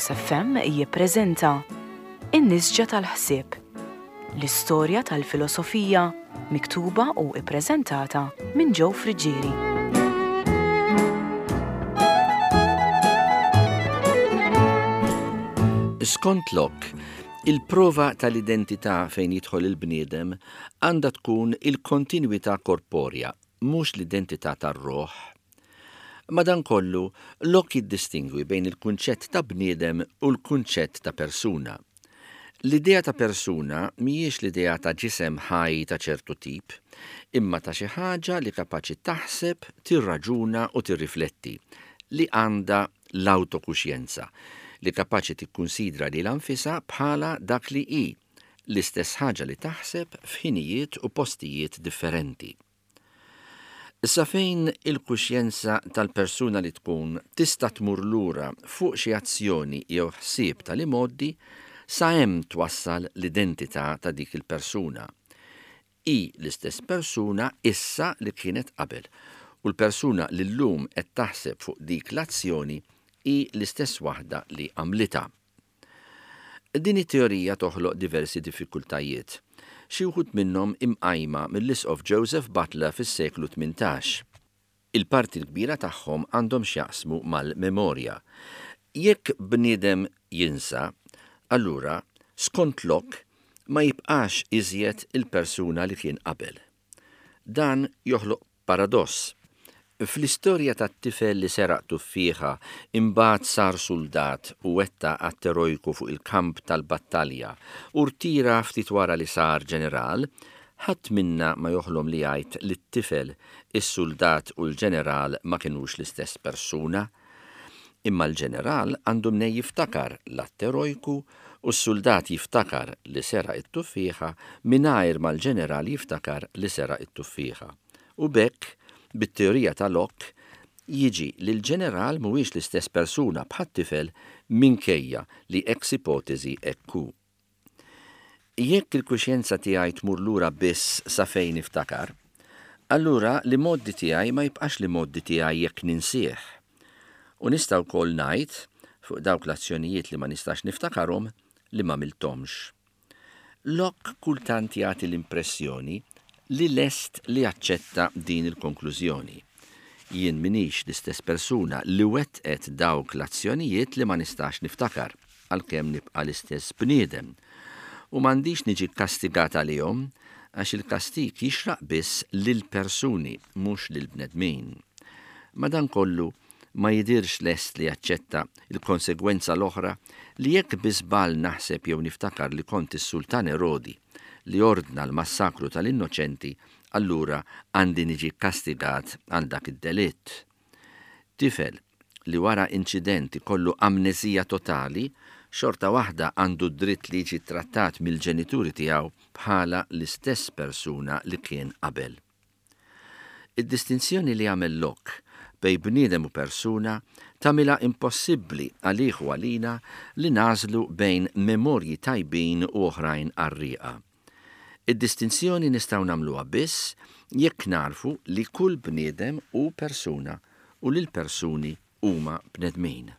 Caritas FM jippreżenta In-Nisġa tal-Ħsieb, l-istorja tal-filosofija miktuba u ppreżentata minn Joe Friggieri. Skont Locke, il-prova tal-identità fejn jidħol il-bniedem għandha tkun il-kontinwità korporja, mhux l-identità tar-ruħ. Madankollu, Locke jiddistingwi bejn il-kunċett ta' bniedem u l-kunċett ta' persuna. L-idea ta' persuna mhijiex l-idea ta' ġisem ħaj ta' ċertu tip, imma ta' xi ħaġa li kapaċi taħseb, tirraġuna u tirrifletti, li għandha l-awtokuxjenza, li kapaċi tikkunsidra lilha nfisha bħala dak li hi, l-istess ħaġa li taħseb f'ħinijiet u postijiet differenti. Sa fejn il-kuxjenza tal-persuna li tkun tista' tmur lura fuq xi azzjoni jew ħsieb tal-imgħoddi, sa hemm twassal l-identità ta' dik il-persuna. Hi l-istess persuna issa li kienet qabel, u l-persuna li llum qed taħseb fuq dik l-azzjoni hi l-istess waħda li għamlitha. Din it-teorija toħloq diversi diffikultajiet, xi wħud minnhom imqajma mill-Isqof Joseph Butler fis-seklu 18. Il-parti l-kbira tagħhom għandhom x'jaqsmu mal-memorja. Jekk bniedem jinsa, allura, skont Locke, ma jibqax iżjed il-persuna li kien qabel. Dan joħloq paradoss. Fl-istorja tat-tifel li seraq tuffieħa imbagħad sar suldat u wettaq att erojku fuq il-kamp tal-battalja u rtira ftit wara li sar ġeneral, ħadd minna ma joħlom li jgħid li t-tifel, is-suldat u l-ġeneral ma kinux l-istess persuna. Imma l-ġeneral għandu mnejn jiftakar l-att erojku u s-suldat jiftakar li seraq it-tuffieħa mingħajr ma l-ġeneral jiftakar li seraq it-tuffieħa. U b'hekk, bit-teorija ta' Locke, jiġi li l-ġeneral mhuwiex l-istess persuna bħat-tifel minkejja li ex ipotesi hekk hu. Jekk il-kuxjenza tiegħi tmur lura biss sa fejn niftakar, allura l-imgħoddi tiegħi ma jibqax l-imgħoddi tiegħi jekk ninsieh. U nista' wkoll ngħid, fuq dawk l-azzjonijiet li ma nistax niftakarhom, li m'għamilthomx. Locke kultant jagħti l-impressjoni li lest li jaċċetta din il-konklużjoni. Jien m'iniex l-istess persuna li wettqet dawk l-azzjonijiet li ma nistax niftakar. għalkemm nibqa' l-istess bniedem, u m'għandix niġi kkastigat għalihom, għax il-kastig jixraq biss lill-persuni, mhux lill-bnedmin. Madankollu, ma jidhirx lest li jaċċetta l-konsegwenza l-oħra li jekk bi żball naħseb jew niftakar li kont is-Sultan Erodi li ordna l-massakru tal-innoċenti, allura għandi niġi kkastigat għal dak id-delitt. Tifel li wara inċident ikollu amneżija totali, xorta waħda għandu d-dritt li jiġi ttrattat mill-ġenituri tiegħu bħala l-istess persuna li kien qabel. Id-distinzjoni li għamel Locke bejn bniedem u persuna tagħmilha impossibbli għalih u għalina li nagħżlu bejn memorji tajbin u oħrajn qarrieqa. Id-distinzjoni nistgħu nagħmluha biss jekk nagħrfu li kull bniedem hu persuna u li l-persuni huma bnedmin.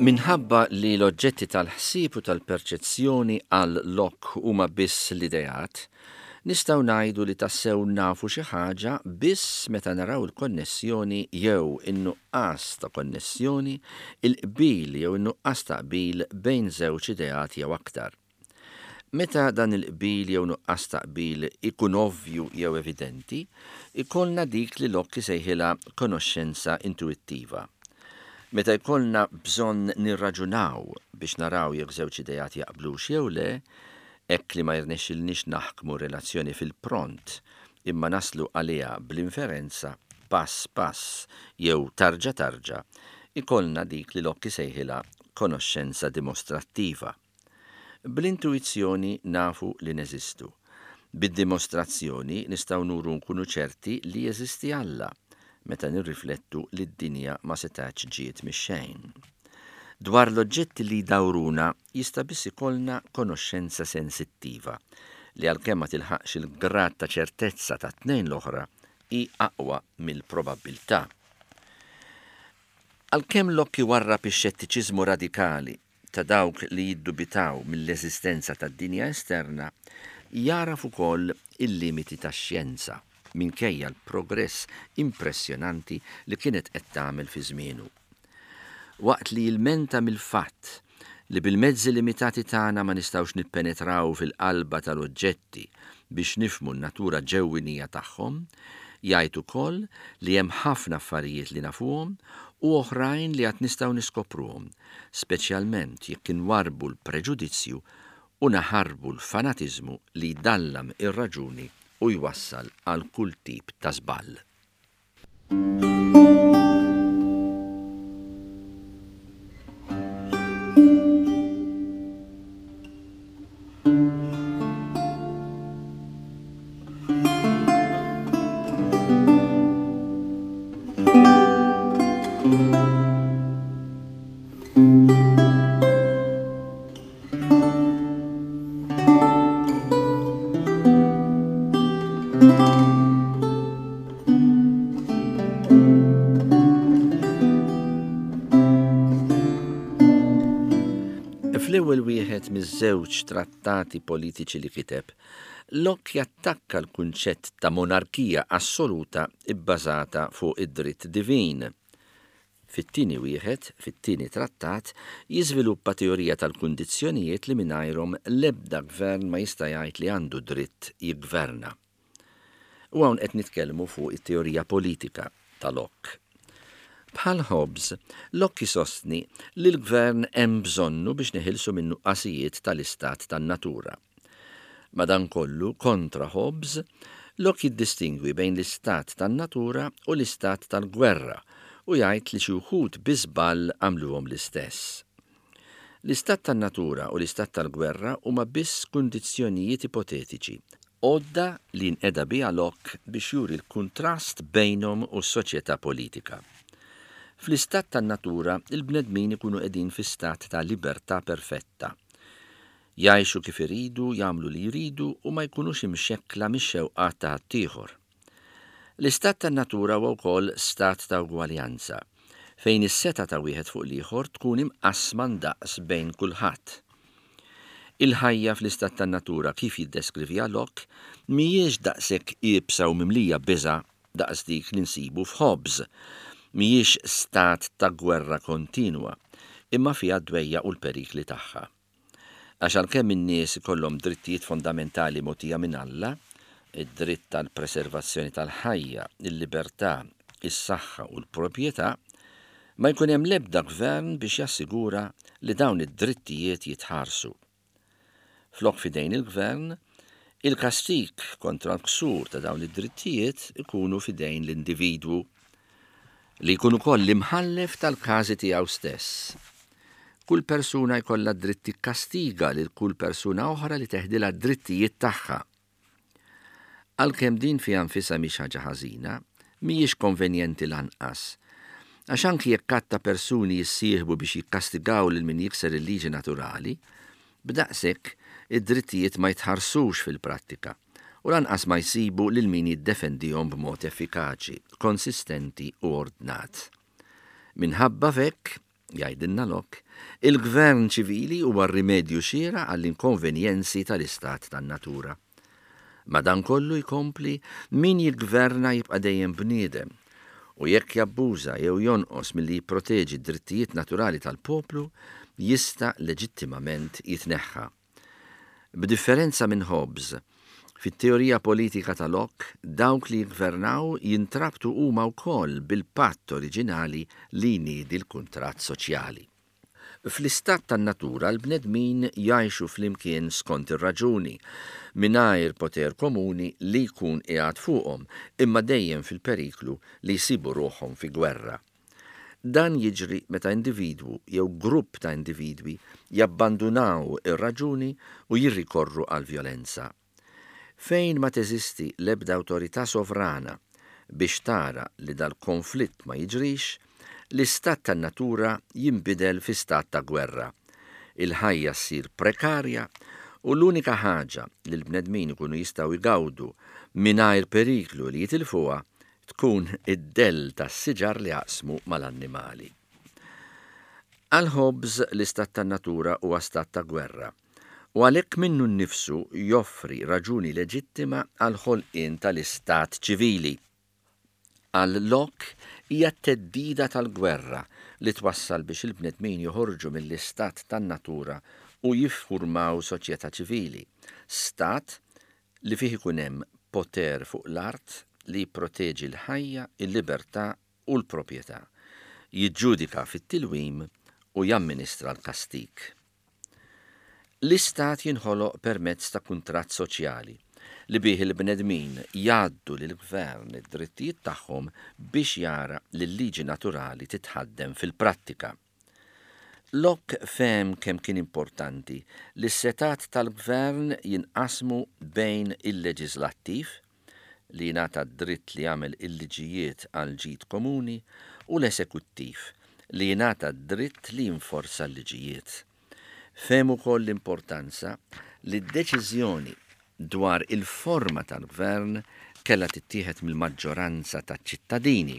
Minħabba li l-oġġetti tal-ħsieb u tal-perċezzjoni għal Locke huma biss l-ideat, Nistgħu ngħidu li tassew nafu xi ħaġa biss meta naraw il-konnessjoni jew in-nuqqas ta' konnessjoni, il-qbil jew in-nuqqas ta' qbil bejn żewġ ideat jew aktar. Meta dan il-qbil jew nuqqas ta' qbil ikun ovvju jew evidenti, ikollna dik li Locke isejħilha konoxxenza intuwittiva. Meta jkollna bżonn nirraġunaw biex naraw jekk żewġ ideat jaqblux jew le, Hekk li ma jirnexxilniex naħkmu relazzjoni fil-pront imma naslu għaliha bl-inferenza, pass pass jew tarġa tarġa, ikollna dik li Locke isejħilha konoxxenza dimostrattiva. Bl-intuwizzjoni nafu li neżistu. Bid-dimostrazzjoni nistgħu nuru nkunu ċerti li jeżisti Alla, meta nirriflettu li d-dinja ma setgħetx ġiet mix-xejn. Dwar l-oġġetti li jdawruna jista' biss ikollna konoxxenza sensittiva, li għalkemm ma tilħaqx il-grad ta' ċertezza tat-tnejn l-oħra, hi aqwa mill-probabbiltà. Għalkemm Locke iwarrab ix-xettiċiżmu radikali ta' dawk li jiddubitaw mill-eżistenza tad-dinja esterna, jagħraf ukoll il-limiti tax-xjenza, minkejja l-progress impressjonanti li kienet qed tagħmel fi żmienu. Waqt li jilmenta mill-fatt li bil-mezzi limitati tagħna ma nistgħux nippenetraw fil-qalba tal-oġġetti biex nifhmu n-natura ġewwinija tagħhom, jgħid ukoll li hemm ħafna affarijiet li nafuhom u oħrajn li għad nistgħu niskopruhom, speċjalment jekk inwarrbu l-preġudizzju u naħarbu l-fanatiżmu li jdallam ir-raġuni u jwassal għal kull tip ta' żball. Fl-ewwel wieħed miż-żewġ trattati politiċi li kiteb, Locke jattakka l-kunċett ta' monarkija assoluta bbażata fuq id-dritt divin. Fit-tieni wieħed, fit-tieni trattat, jiżviluppa teorija tal-kundizzjonijiet li mingħajrhom l-ebda gvern ma jista' jgħid li għandu dritt jiggverna. U hawn qed nitkellmu fuq it-teorija politika ta' Locke. Bħal Hobbes, Locke jsostni li l-gvern hemm bżonnu biex neħilsu min-nuqqasijiet tal-istat tan-natura. Madankollu, kontra Hobbes, Locke jiddistingwi bejn l-istat tan-natura u l-istat tal-gwerra u jgħid li xi wħud bi żball għamluhom l-istess. L-istat tan-natura u l-istat tal-gwerra huma biss kundizzjonijiet ipotetiċi, għodda li nqeda biha Locke biex juri l-kuntrast bejnhom u s-soċjetà politika. Fl-istat tan-natura, il-bnedmin ikunu qegħdin fi stat ta' libertà perfetta. Jgħixu kif iridu, jagħmlu li jridu u ma jkunux imxekkla mix-xewqat ta' ħaddieħor. L-istat tan-natura huwa wkoll stat ta' ugwaljanza, fejn is-setgħa ta' wieħed fuq l-ieħor tkun imqassma ndaqs bejn kulħadd. Il-ħajja fl-istat tan-natura kif jiddeskriviha Locke mhijiex daqshekk iebsa u mimlija biża' daqs dik li nsibu f'Hobbes. Mhijiex stat ta' gwerra kontinwa, imma fiha d-dwejjaq u l-perikli tagħha. Għax għalkemm in-nies ikollhom drittijiet fondamentali mogħtija minn Alla, id-dritt għall-preservazzjoni tal-ħajja, il-libertà, is-saħħa u l-proprjetà, ma jkun hemm l-ebda gvern biex jassigura li dawn id-drittijiet jitħarsu. Flok f'idejn il-gvern, il-kastig kontra l-ksur ta' dawn id-drittijiet ikunu f'idejn l-individwu, li jkun ukoll l-imħallef tal-każi tiegħu stess. Kull persuna jkollha d-dritt tikkastiga lil kull persuna oħra li teħdilha d-drittijiet tagħha. Għalkemm din fiha nfisha mhix ħaġa ħażina, mhijiex konvenjenti lanqas. Għax anki jekk għadd ta' persuni jissieħbu biex jikkastigaw lil min jikser il-liġi naturali, b'daqshekk id-drittijiet ma jitħarsux fil-prattika u lanqas ma jsibu lil min jiddefendihom b'mod effikaċi, konsistenti u ordnat. Minħabba f'hekk, Jgħidilna Locke, il-gvern ċivili huwa r-rimedju xieraq għall-inkonvenjenzi tal-istat tan-natura. Madankollu, jkompli, min jiggverna jibqa' dejjem bniedem, u jekk jabbuża jew jonqos milli jipproteġi d-drittijiet naturali tal-poplu, jista' leġittimament jitneħħa. B'differenza minn Hobbes, fit-teorija politika ta' Locke, dawk li jiggvernaw jintrabtu huma wkoll bil-patt oriġinali li jniedi l-kuntratt soċjali. Fl-istat tan-natura l-bnedmin jgħixu flimkien skont ir-raġuni, mingħajr poter komuni li jkun qiegħed fuqhom, imma dejjem fil-periklu li jsibu ruħhom fi gwerra. Dan jiġri meta individwu jew grupp ta' individwi jabbandunaw ir-raġuni u jirrikorru għall-vjolenza. Fejn ma teżisti l-ebda awtorità sovrana biex tara li dal-konflitt ma jiġrix, l-istat tan-natura jinbidel fi stat ta' gwerra. Il-ħajja ssir prekarja u l-unika ħaġa li l-bnedmin ikunu jistgħu jgawdu mingħajr periklu li jitilfuha tkun id-dell tas-siġar li jaqsmu mal-annimali. Għal Hobbes l-istat tan-natura huwa stat ta' gwerra u għalhekk minnu nnifsu joffri raġuni leġittima għall-ħolqien tal-istat ċivili. Għal Locke hija t-theddida tal-gwerra li twassal biex il-bnedmin joħorġu mill-istat tan-natura u jiffurmaw soċjetà ċivili, stat li fih ikun hemm poter fuq l-art li jipproteġi l-ħajja, il-libertà u l-proprjetà, jiġġudika fit-tilwim u jamministra l-kastig. L-istat jinħoloq permezz ta' kuntratt soċjali li bih il-bnedmin jgħaddu lill-gvern id-drittijiet tagħhom biex jara li l-liġi naturali titħaddem fil-prattika. Locke fehem kemm kien importanti li s-setgħat tal-gvern jinqasmu bejn il-leġiżlattiv, li jingħata d-dritt li jagħmel il-liġijiet għall-ġid komuni, u l-esekuttiv, li jingħata d-dritt li jinforza l-liġijiet. Fehem ukoll l-importanza li d-deċiżjoni dwar il-forma tal-gvern kellha tittieħed mill-maġġoranza taċ-ċittadini,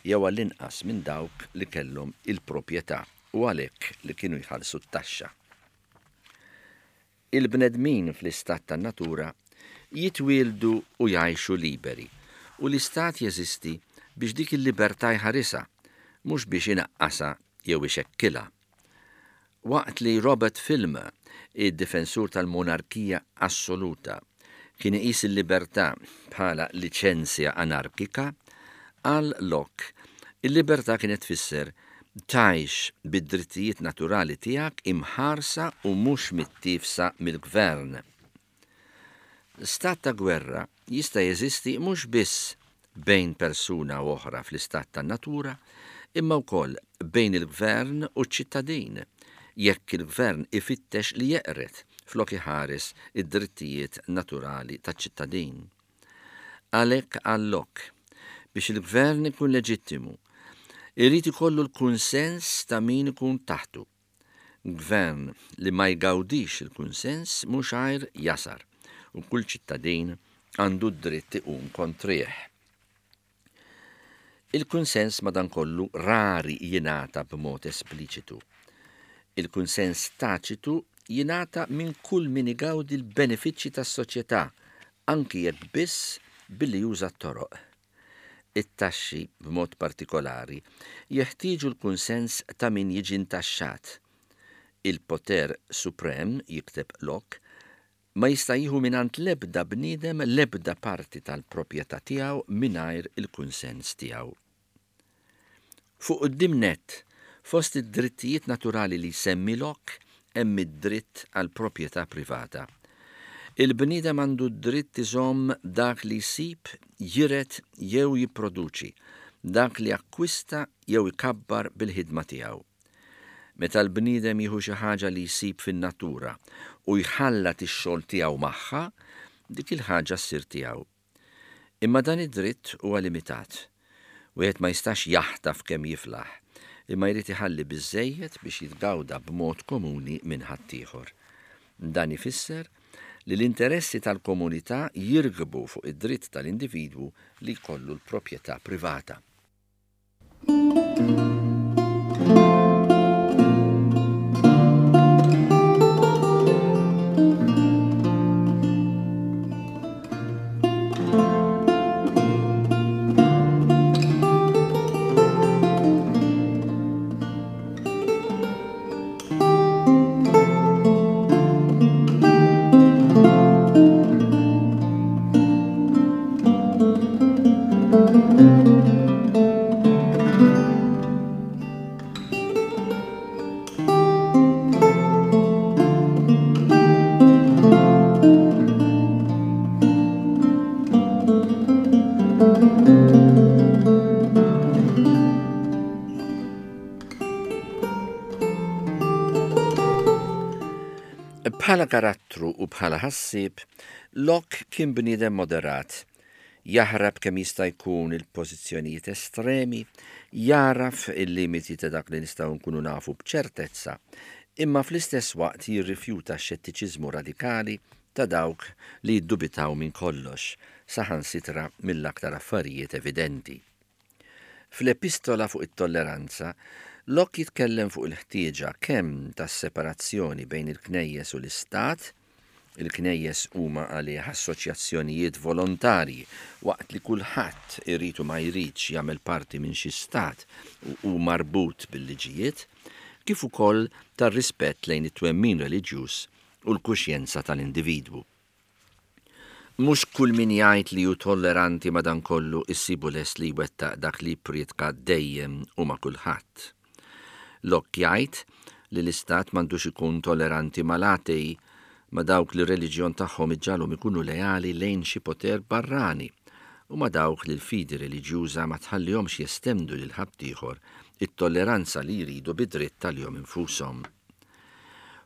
jew għall-inqas minn dawk li kellhom il-proprjetà u għalhekk li kienu jħallsu t-taxxa. Il-bnedmin fl-istat tan-natura jitwieldu u jgħixu liberi, u l-istat jeżisti biex dik il-libertà jħarisha, mhux biex inaqqasha jew ixekkilha. Waqt li Robert Filmer, id-difensur tal-monarkija assoluta, kien iqis il-libertà bħala liċenzja anarkika, għal Locke, il-libertà kienet tfisser tgħix bid-drittijiet naturali tiegħek imħarsa u mhux mittiefsa mill-gvern. Stat ta' gwerra jista' jeżisti mhux biss bejn persuna u oħra fl-istat tan-natura, imma wkoll bejn il-gvern u ċ-ċittadin, jekk il-gvern ifittex li jeqred flok iħares id-drittijiet naturali taċ-ċittadin. Għalhekk għal Locke, biex il-gvern ikun leġittimu, irid ikollu l-kunsens ta' min ikun taħtu. Gvern li ma jgawdix il-kunsens mhux għajr jasar u kull ċittadin għandu d-dritt iqum kontrih. Il-kunsens madankollu rari jingħata b'mod espliċitu. Il-kunsens taċitu jingħata minn kull min igawdi l-benefiċċji tas-soċjetà, anki jekk biss billi juża t-toroq. It-taxxi, b'mod partikolari, jeħtieġu l-kunsens ta' min jiġi ntaxxat. Il-poter suprem, jikteb Locke, Ma jista' jieħu mingħand l-ebda bniedem l-ebda parti tal-proprjetà tiegħu mingħajr il-kunsens tiegħu. Fuq quddiem nett, fost id-drittijiet naturali li jsemmi Locke hemm id-dritt għall-proprjetà privata. Il-bniedem għandu d-dritt iżomm dak li jsib, jiret jew jipproduċi, dak li jakkwista jew ikabbar bil-ħidma tiegħu. Meta l-bniedem jieħu xi ħaġa li jsib fin-natura u jħallat ix-xogħol tiegħu magħha, dik il-ħaġa ssir tiegħu. Imma dan id-dritt huwa limitat. Wieħed ma jistax jaħtaf kemm jiflaħ, imma jrid iħalli biżżejjed biex jitgawda b'mod komuni minn ħaddieħor. Dan ifisser li l-interessi tal-komunità jirkbu fuq id-dritt tal-individwu li jkollu l-proprjetà privata. Bħala karattru u bħala ħassieb, Locke kien bniedem moderat. Jaħrab kemm jista' jkun il-pożizzjonijiet estremi, jagħraf il-limiti ta' dak li nistgħu nkunu nafu b'ċertezza, imma fl-istess waqt jirrifjuta x-xettiċiżmu radikali ta' dawk li jiddubitaw minn kollox, saħansitra mill-aktar affarijiet evidenti. Fl-Epistola fuq it-Tolleranza, Locke jitkellem fuq il-ħtieġa kemm tas-separazzjoni bejn il-Knejjes u l-Istat, il-Knejjes huma għalih assoċjazzjonijiet volontarji waqt li kulħadd irid u ma jridx jagħmel parti minn xi stat u hu marbut bil-liġijiet, kif ukoll tar-rispett lejn it-twemmin reliġjuż u l-kuxjenza tal-individwu. Mhux kull min jgħid li hu tolleranti madankollu issibu lest li jwettaq dak li jipprietka dejjem u ma' kulħadd. Locke jgħid li l-istat m'għandux ikun tolleranti mal-atei, ma' dawk li r-reliġjon tagħhom iġġagħalhom ikunu leali lejn xi poter barrani u ma' dawk li l-fidi reliġjuża ma tħallihomx jestendu lil ħaddieħor it-tolleranza li jridu bi dritt għalihom infushom.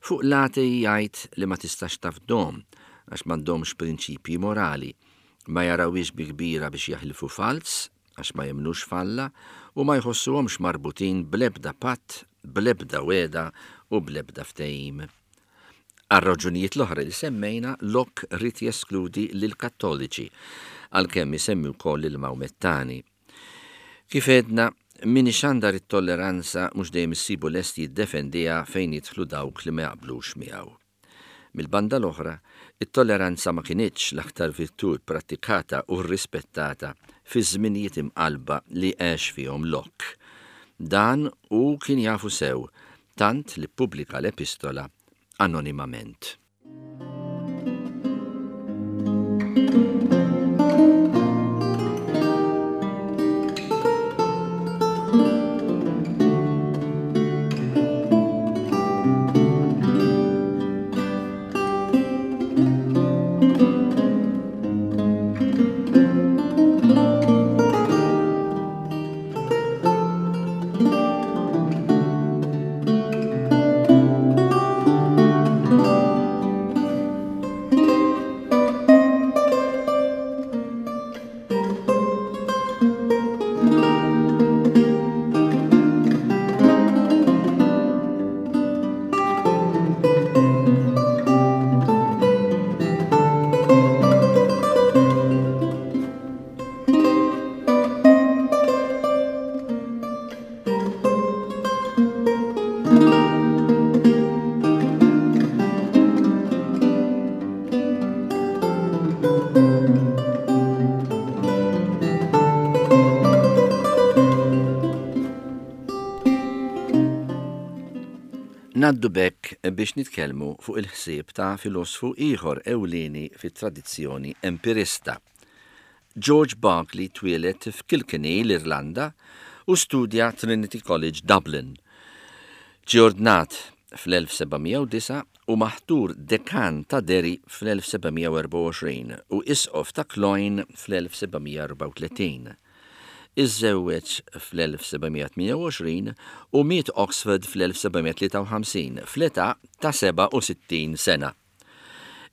Fuq l-atei jgħid li ma tistax tafdhom għax m'għandhomx prinċipji morali, ma jarawhiex bi kbira biex jaħilfu falz għax ma jemmnux f'Alla u ma jħossuhomx marbutin bl-ebda patt, bl-ebda wegħda u bl-ebda ftehim. Għar-raġunijiet l-oħra li semmejna, Locke ried jeskludi lill-Kattoliċi, għalkemm isemmi wkoll lill-Mawmettani. Kif għedna, min ixandar it-tolleranza mhux dejjem issibu lest jiddefendiha fejn jidħlu dawk li ma jaqblux miegħu. Mill-banda l-oħra, it-tolleranza ma kinitx l-aktar virtù pprattikata u rrispettata fiż-żminijiet imqallba li għex fihom Locke. Dan hu kien jafu sew, tant li ppubblika l-epistola anonimament. Ngħaddu b'hekk biex nitkellmu fuq il-ħsieb ta' filosfu ieħor ewlieni fit-tradizzjoni empirista. George Berkeley twieled f'Kilkenny, l-Irlanda, u studja Trinity College Dublin. Ġie ordnat fl-1709 u maħtur dekan ta' Derry fl-1724 u isqof ta' Cloyne fl-1734. Iżżewweġ fl-1728 u miet Oxford fl-1753 fl-età ta' 67 sena.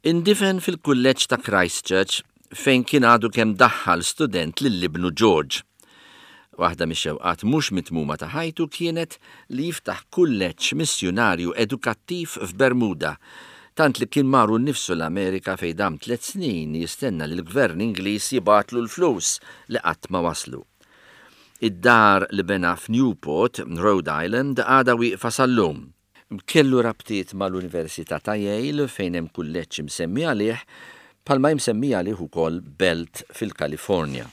Indifen fil-Kulleġġ ta' Christ Church fejn kien għadu kemm daħħal student lil ibnu George. Waħda mix-xewqat mhux mitmuma ta' ħajtu kienet li jiftaħ kulleġġ missjunarju edukattiv f'Bermuda, tant li kien mar hu nnifsu l-Amerika fejn dam tlett snin jistenna li l-gvern Ingliż jibgħatlu l-flus li qatt ma waslu. Id-dar li bena f'Newport, Rhode Island għadha wieqfa sal-lum. Kellu rabtiet mal-Università ta' Yale fejn hemm kulleġġ imsemmi għalih, bħalma hi msemmija għalih ukoll belt fil-Kalifornja.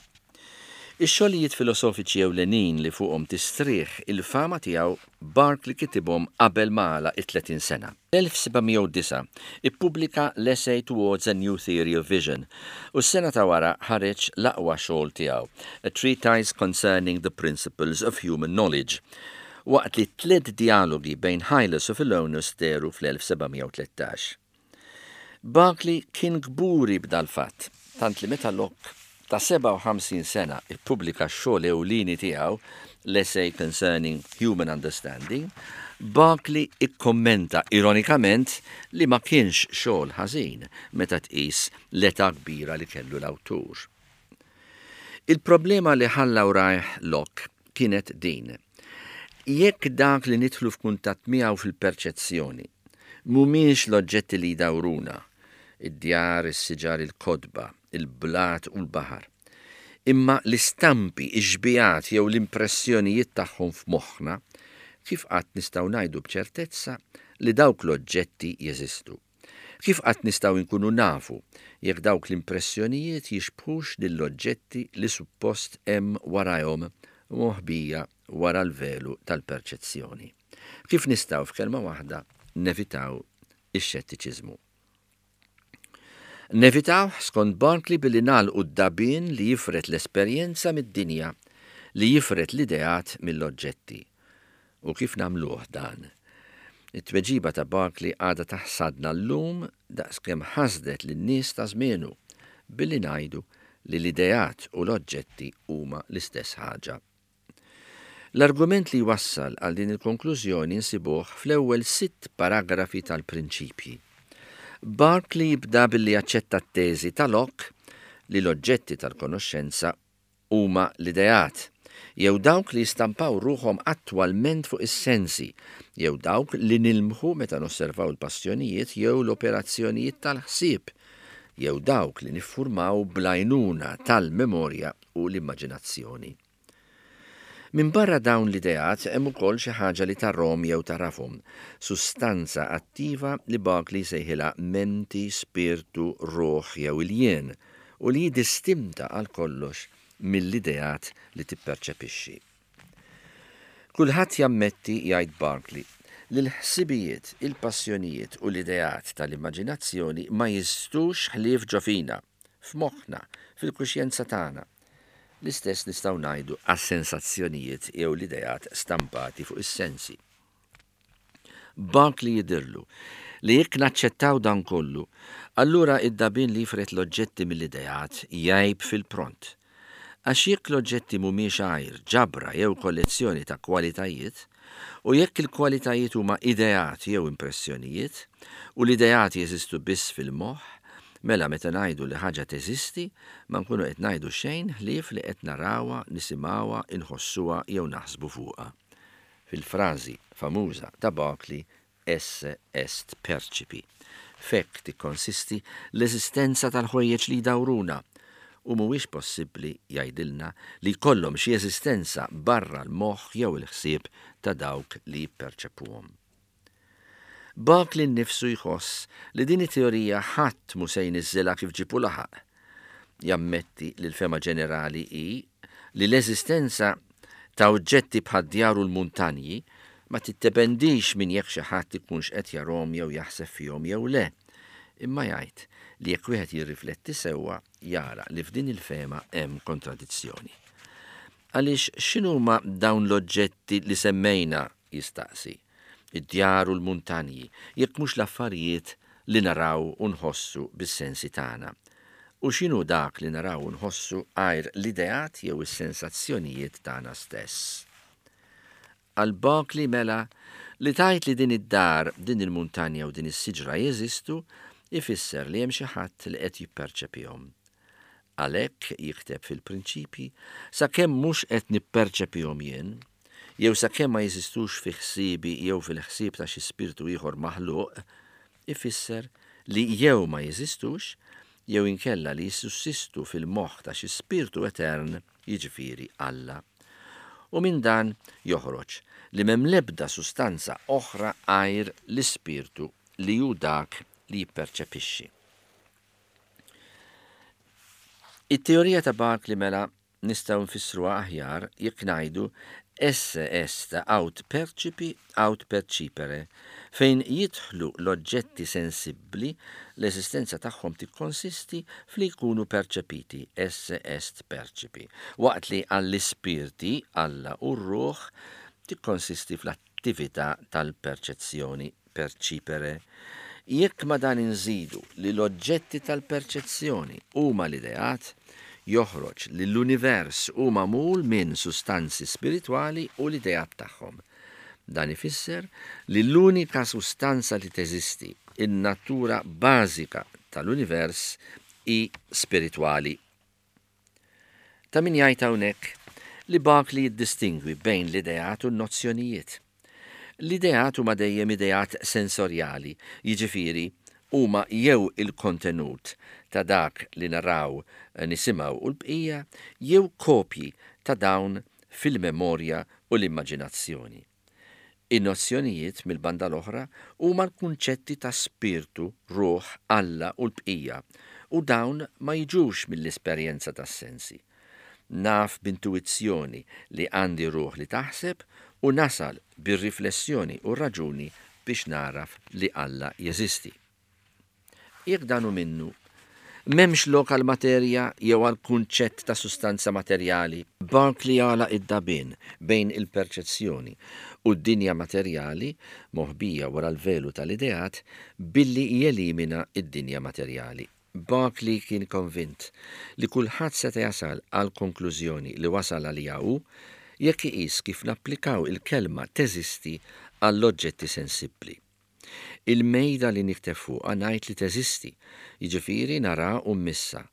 Ix-xogħlijiet filosofiċi ewlenin li fuqhom tistrieħ il-fama tiegħu Berkeley kitibhom qabel ma għalaq it-30 sena. Fl-1709 ippubblika l-Essay Towards a New Theory of Vision u s-sena ta' wara ħareġ l-aqwa xogħol tiegħu, A Treatise Concerning the Principles of Human Knowledge, waqt li t-tliet djalogi bejn Hylas u Philonus dehru fl-1713. Berkeley kien kburi b'dal-fatt, tant li meta Locke ta' 57 sena ppubblika x-xogħol ewlieni tiegħu, l-Essay Concerning Human Understanding, Barclay ikkommenta ironikament li ma kienx xogħol ħażin meta tqis l-età kbira li kellu l-awtur. Il-problema li ħalla wrajh Locke kienet din, Jekk dak li nidħlu f'kuntatt miegħu fil-perċezzjoni mhumiex l-oġġetti li jdawruna, id-djar, is-siġar, il-kotba, il-blat u l-baħar, imma l-istampi, ix-xbihat jew l-impressjonijiet tagħhom f'moħħna, kif qatt nistgħu ngħidu b'ċertezza li dawk l-oġġetti jeżistu? Kif qatt nistgħu nkunu nafu jekk dawk l-impressjonijiet jixbħux lill-oġġetti li suppost hemm warajhom moħbija wara l-velu tal-perċezzjoni? Kif nistgħu, f'kelma waħda, nevitaw ix-xettiċiżmu? Nevitawh, skont Barclay, billi nagħlqu d-dagħbien li jifred l-esperjenza mid-dinja, li jifred l-ideat mill-oġġetti. U kif nagħmluh dan? It-tweġiba ta' Barclay għadha taħsadna llum daqskemm ħasdet lin-nies ta' żmienu, billi ngħidu li l-ideat u l-oġġetti huma l-istess ħaġa. L-argument li jwassal għal din il-konklużjoni nsibuh fl-ewwel sitt paragrafi tal-Prinċipji. Berkeley jibda billi jaċċetta t-teżi ta' Locke li l-oġġetti tal-konoxxenza huma l-ideat, jew dawk li jistampaw ruħhom attwalment fuq is-sensi, jew dawk li nilmħu meta nosservaw il-passjonijiet jew l-operazzjonijiet tal-ħsieb, jew dawk li niffurmaw bl-għajnuna tal-memorja u l-immaġinazzjoni. Minbarra dawn l-ideat hemm ukoll xi ħaġa li tarahom jew tagħrafhom, sustanza attiva li Berkeley jsejħilha menti, spirtu, ruħ jew il-jien, u li hi distinta għal kollox mill-ideat li tipperċepixxi. Kulħadd jammetti, jgħid Berkeley, li l-ħsibijiet, il-passjonijiet u l-ideat tal-immaġinazzjoni ma jeżistux ħlief ġo fina. f'moħħna, fil-kuxjenza tagħna. L-istess nistgħu ngħidu għas-sensazzjonijiet jew l-ideat stampati fuq is-sensi. Barclay jidhirlu li jekk naċċettaw dan kollu, allura id-dagħbien li jifred l-oġġetti mill-ideat jgħib fil-pront. Għax jekk l-oġġetti mhumiex għajr ġabra jew kollezzjoni ta' kwalitajiet, u jekk il-kwalitajiet huma ideat jew impressjonijiet, u l-ideat jeżistu biss fil-moħħ, mela meta ngħidu li ħaġa teżisti, ma nkunu qed ngħidu xejn ħlief li qed narawha, nisimgħuha, inħossuha jew naħsbu fuqha. Fil-frażi famuża ta' Berkeley Esse est percipi. F'hekk tikkonsisti l-eżistenza tal-ħwejjeġ li jdawruna, u mhuwiex possibbli, jgħidilna, li jkollhom xi eżistenza barra l-moħħ jew il-ħsieb ta' dawk li jipperċepuhom. Berkeley nnifsu jħoss li din it-teorija ħadd mhu se jniżżilha kif ġieb u laħaq. Jammetti li l-fehma ġenerali hi li l-eżistenza ta' oġġetti bħad-djar u l-muntanji ma tiddependix minn jekk xi ħadd ikunx qed jarahom jew jaħseb fihom jew le, imma jgħid li jekk wieħed jirrifletti sewwa jara li f'din il-fehma hemm kontradizzjoni. Għaliex x'inhuma dawn l-oġġetti li semmejna, jistaqsi, id-djar u l-muntanji, jekk mhux l-affarijiet li naraw u nħossu bis-sensi tagħna? U x'inhu dak li naraw u nħossu għajr l-ideat jew is-sensazzjonijiet tagħna stess? Għal Berkeley mela, li tgħid li din id-dar, din il-muntanja u din is-siġra jeżistu, ifisser li hemm xi ħadd li qed jipperċepihom. Għalhekk, jikteb fil-Prinċipji, sakemm mhux qed nipperċepihom jien, jew sakemm ma jeżistux fi ħsiebi jew fil-ħsieb ta' xi spirtu ieħor maħluq, ifisser li jew ma jeżistux, jew inkella li jissussistu fil-moħħ ta' xi spirtu etern, jiġifieri Alla. U minn dan joħroġ li m'hemm l-ebda sustanza oħra għajr l-ispirtu li hu dak li jipperċepixxi. It-teorija ta' Berkeley mela nistgħu nfissruha aħjar jekk ngħidu esse est aut percipi aut percipere, fejn jidħlu l-oġġetti sensibbli, l-eżistenza tagħhom tikkonsisti f'li jkunu perċepiti, esse est percipi, waqt li għall-ispirti, Alla u r-ruħ, tikkonsisti fl-attività tal-perċezzjoni, percipere. Jekk ma' dan inżidu li l-oġġetti tal-perċezzjoni huma l-ideat, joħroġ li l-univers hu magħmul minn sustanzi spiritwali u l-ideat tagħhom. Dan ifisser li l-unika sustanza li teżisti, in-natura bażika tal-univers, hi spiritwali. Ta' min jgħid hawnhekk li Berkeley jiddistingwi bejn l-ideat u n-nozzjonijiet. L-ideat huma dejjem ideat sensorjali, jiġifieri huma jew il-kontenut ta' dak li naraw, nisimgħu u l-bqija, jew kopji ta' dawn fil-memorja u l-immaġinazzjoni. In-nozzjonijiet, mill-banda l-oħra, huma l-kunċetti ta' spirtu, ruħ, Alla u l-bqija, u dawn ma jiġux mill-esperjenza tas-sensi. Naf b'intuwizzjoni li għandi ruħ li taħseb u nasal bir-riflessjoni u r-raġuni biex nagħraf li Alla jeżisti. Jekk dan hu minnu, m'hemmx lok għall-materja jew għall-kunċett ta' sustanza materjali. Berkeley għalaq id-dagħbien bejn il-perċezzjoni u d-dinja materjali, moħbija wara l-velu tal-ideat, billi jelimina d-dinja materjali. Berkeley kien konvint li kulħadd seta' jasal għall-konklużjoni li wasal għaliha hu jekk iqis kif napplikaw il-kelma teżisti għall-oġġetti sensibbli. Il-mejda li nikteb fuqha ngħid li teżisti, jiġifieri nara u mmissha.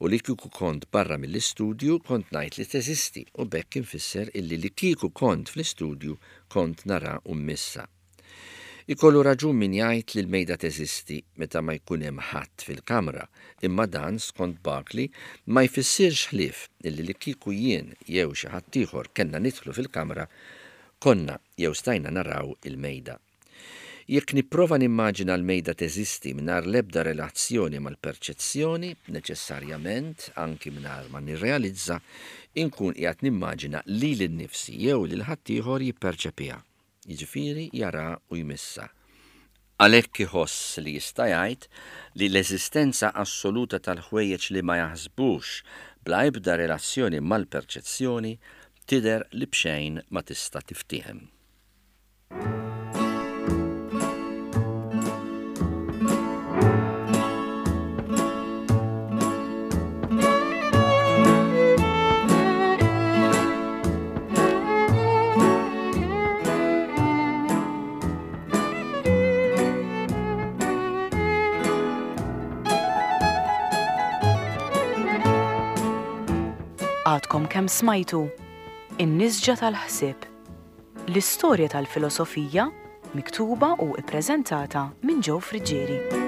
U li kieku kont barra mill-istudju kont ngħid li teżisti u b'hekk infisser illi li kieku kont fl-istudju kont nara u mmissha. Ikollu raġun min jgħid li l-mejda teżisti meta ma jkun hemm ħadd fil-kamra, imma dan, skont Berkeley, ma jfissirx ħlief illi li kieku jien jew xi ħaddieħor kellna nidħlu fil-kamra, konna jew stajna naraw il-mejda. Jekk nipprova nimmaġina l-mejda teżisti mingħajr l-ebda relazzjoni mal-perċezzjoni, neċessarjament, anki mingħajr ma nirrealizza, inkun qiegħed nimmaġina lili nnifsi jew lil ħaddieħor jipperċepiha, jiġifieri jaraha u jmissha. Għalhekk iħoss li jista' jgħid li l-eżistenza assoluta tal-ħwejjeġ li ma jaħsbux bla ebda relazzjoni mal-perċezzjoni tidher li b'xejn ma tista' tiftiehem. Għadkom kemm smajtu In-Nisġa tal-Ħsieb. L-istorja tal-filosofija miktuba u ippreżentata minn Joe Friggieri.